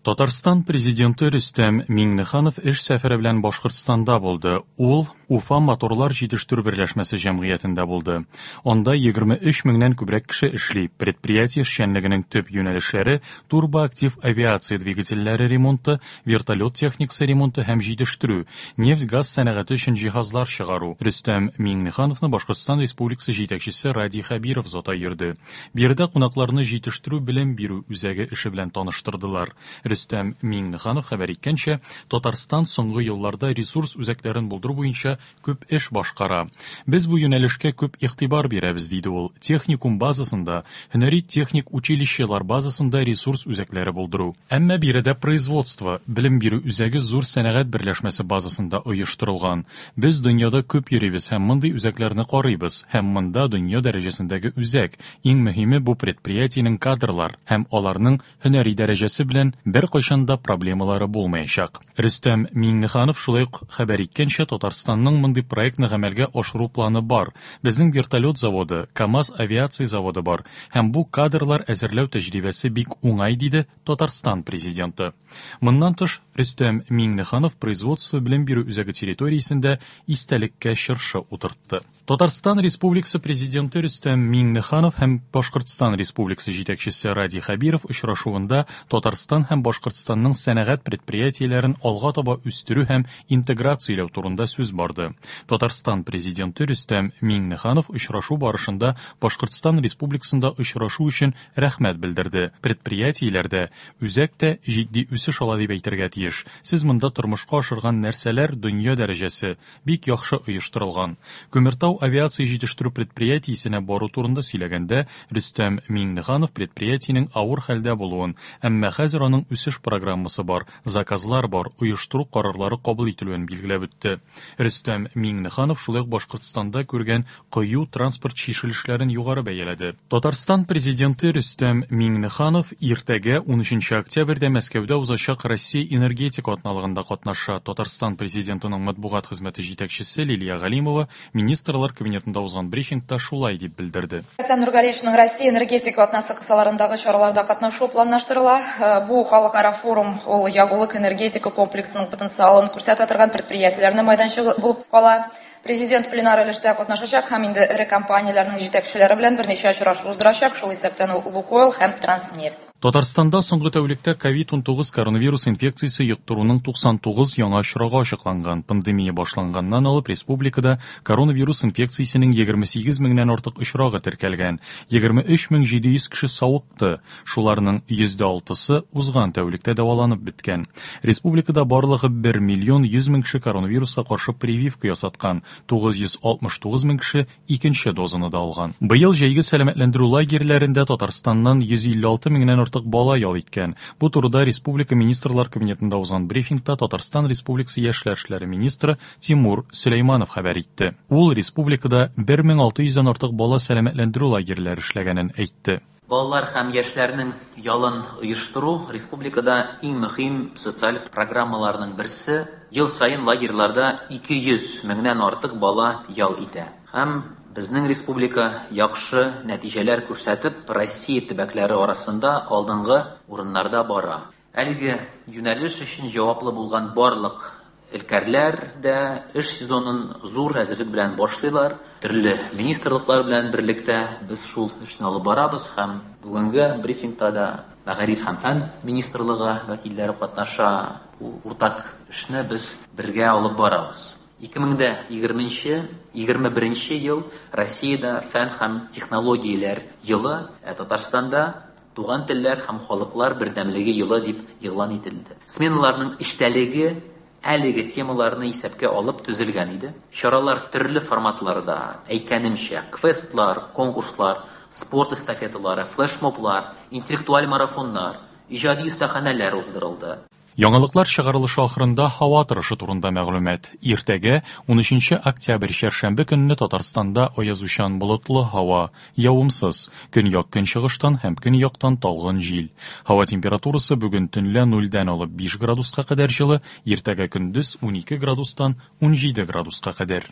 Татарстан Президенты Рөстәм Миңнеханов эш сәфәре белән Башкортстанда булды. Ул Уфа моторлар җитештерү берләшмәсе җәмгыятендә булды. Анда 23 меңнән күбрәк кеше эшли. Предприятие эшчәнлегенең төп юнәлешләре турбоактив авиация двигательләре ремонты, вертолет техникасы ремонты һәм җитештерү, нефть-газ сәнәгате өчен җиһазлар чыгару. Рөстәм Миңнехановны Башкортстан Республикасы җитәкчесе Радий Хәбиров озата йөрде. Биредә кунакларны җитештерү-белем бирү үзәге эше белән таныштырдылар. Рөстәм Миңнеханов хәбәр иткәнчә, Татарстан соңгы елларда ресурс үзәкләрен булдыру буенча күп эш башкара. Без бу юнәлешкә күп игътибар бирәбез, диде ул. Техникум базасында, һөнәри техник училищелар базасында ресурс үзәкләре булдыру. Әмма биредә производство, белем бирү үзәге зур сәнәгать берләшмәсе базасында оештырылган. Без дөньяда күп йөрибез һәм мондый үзәкләрне карыйбыз, һәм монда дөнья дәрәҗәсендәге үзәк, иң мөһиме бу предприятиенең кадрлар һәм аларның һөнәри дәрәҗәсе белән беркайчан да проблемалары булмаячак. Рөстәм Миңнеханов шулай ук хәбәр иткәнчә, Татарстанның мондый проектны гамәлгә ашыру планы бар. Безнең вертолет заводы, КАМАЗ авиация заводы бар һәм бу кадрлар әзерләү тәҗрибәсе бик уңай, диде Татарстан Президенты. Моннан тыш, Рөстәм Миңнеханов производство-белем бирү үзәге территориясендә истәлеккә чыршы утыртты. Татарстан Республикасы Президенты Рөстәм Миңнеханов һәм Башкортстан Республикасы җитәкчесе Радий Хәбиров очрашуында Татарстан һәм Башкортстанның сәнәгать предприятиеләрен алга таба үстерү һәм интеграцияләү турында сүз барды. Татарстан Президенты Рөстәм Миңнеханов очрашу барышында Башкортстан Республикасында очрашу өчен рәхмәт белдерде. Предприятиеләрдә үзәк тә җитди үсеш ала дип әйтергә тиеш. Сез монда тормышка ашырган нәрсәләр дөнья дәрәҗәсе, бик яхшы оештырылган. Күмертау авиация җитештерү предприятиесенә бару турында сөйләгәндә, Рөстәм Миңнеханов предприятиенең авыр хәлдә булуын, әмма хәзер аның үсеш программасы бар, заказлар бар, оештыру карарлары кабул ителүен билгеләп үтте. Рөстәм Миңнеханов шулай ук Башкортстанда күргән кыю транспорт чишелешләрен югары бәяләде. Татарстан Президенты Рөстәм Миңнеханов иртәгә, унөченче октябрьдә Мәскәүдә узачак Россия энергетика атналыгында катнаша. Татарстан Президентының матбугат хезмәте җитәкчесе Лилия Галимова Министрлар Кабинетында узган брифингта шулай дип белдерде. Рөстәм Нургалиевичның Россия энергетика атнасы кысаларындагы чараларда катнашуы планлаштырыла. Бу халыкара форум ул ягулык-энергетика комплексының потенциалын күрсәтә торган предприятиеләрнең майданчыгы булып кала. Президент пленар өлештә катнашачак һәм инде эре компанияләрнең җитәкчеләре белән берничә очрашу уздырачак, шул исәптән ул Лукойл һәм Транснефть. Татарстанда соңгы тәүлектә ковид-19 коронавирус инфекциясе йоктыруның 99 яңа очрагы ачыкланган. Пандемия башланганнан алып республикада коронавирус инфекциясенең 28 меңнән артык очрагы теркәлгән. 23 мең 700 кеше савыкты. Шуларның йөздә алтысы узган тәүлектә дәваланып беткән. Республикада барлыгы 1 миллион 100 мең кеше коронавируска каршы прививка ясаткан, 969 мең кеше икенче дозаны да алган. Быел җәйге сәламәтләндерү лагерьләрендә Татарстаннан 156 меңнән артык бала ял иткән. Бу турыда республика Министрлар Кабинетында узган брифингта Татарстан Республикасы яшьләр эшләре министры Тимур Сөләйманов хәбәр итте. Ул республикада 1600 дән артык бала сәламәтләндерү лагерьләре эшләгәнен әйтте. Балалар һәм яшьләрнең ялын оештыру республикада иң мөһим социаль программаларның берсе. Ел саен лагерьларда 200 меңнән артык бала ял итә. Һәм безнең республика яхшы нәтиҗәләр күрсәтеп, Россия төбәкләре арасында алдынгы урыннарда бара. Әлеге юнәлеш өчен җаваплы булган барлык өлкәрләр дә эш сезонын зур әзерлек белән башлыйлар. Төрле министрлыклар белән берлектә без шул эшне алып барабыз һәм бүгенге брифингта да Мәгариф һәм фән министрлыгы вәкилләре катнаша. Бу уртак эшне без бергә алып барабыз. 2020 нче, 21 нче ел Россиядә фән һәм технологияләр елы, ә Татарстанда Туган телләр һәм халыклар бердәмлеге елы дип игълан ителде. Сменаларның эчтәлеге әлеге темаларны исәпкә алып төзелгән иде. Чаралар төрле форматларда, әйткәнемчә, квестлар, конкурслар, спорт эстафеталары, флешмоблар, интеллектуаль марафоннар, иҗади остаханәләр уздырылды. Яңалыклар чыгарылышы ахырында һава торышы турында мәгълүмат. Иртәгә, унөченче октябрь чәршәмбе көнне Татарстанда аязучан болытлы һава, явымсыз, көньяк-көнчыгыштан һәм көньяктан талгын җил. Һава температурасы бүген төнлә нульдән алып 5 градуска кадәр җылы, иртәгә көндез 12 градустан 17 градуска кадәр.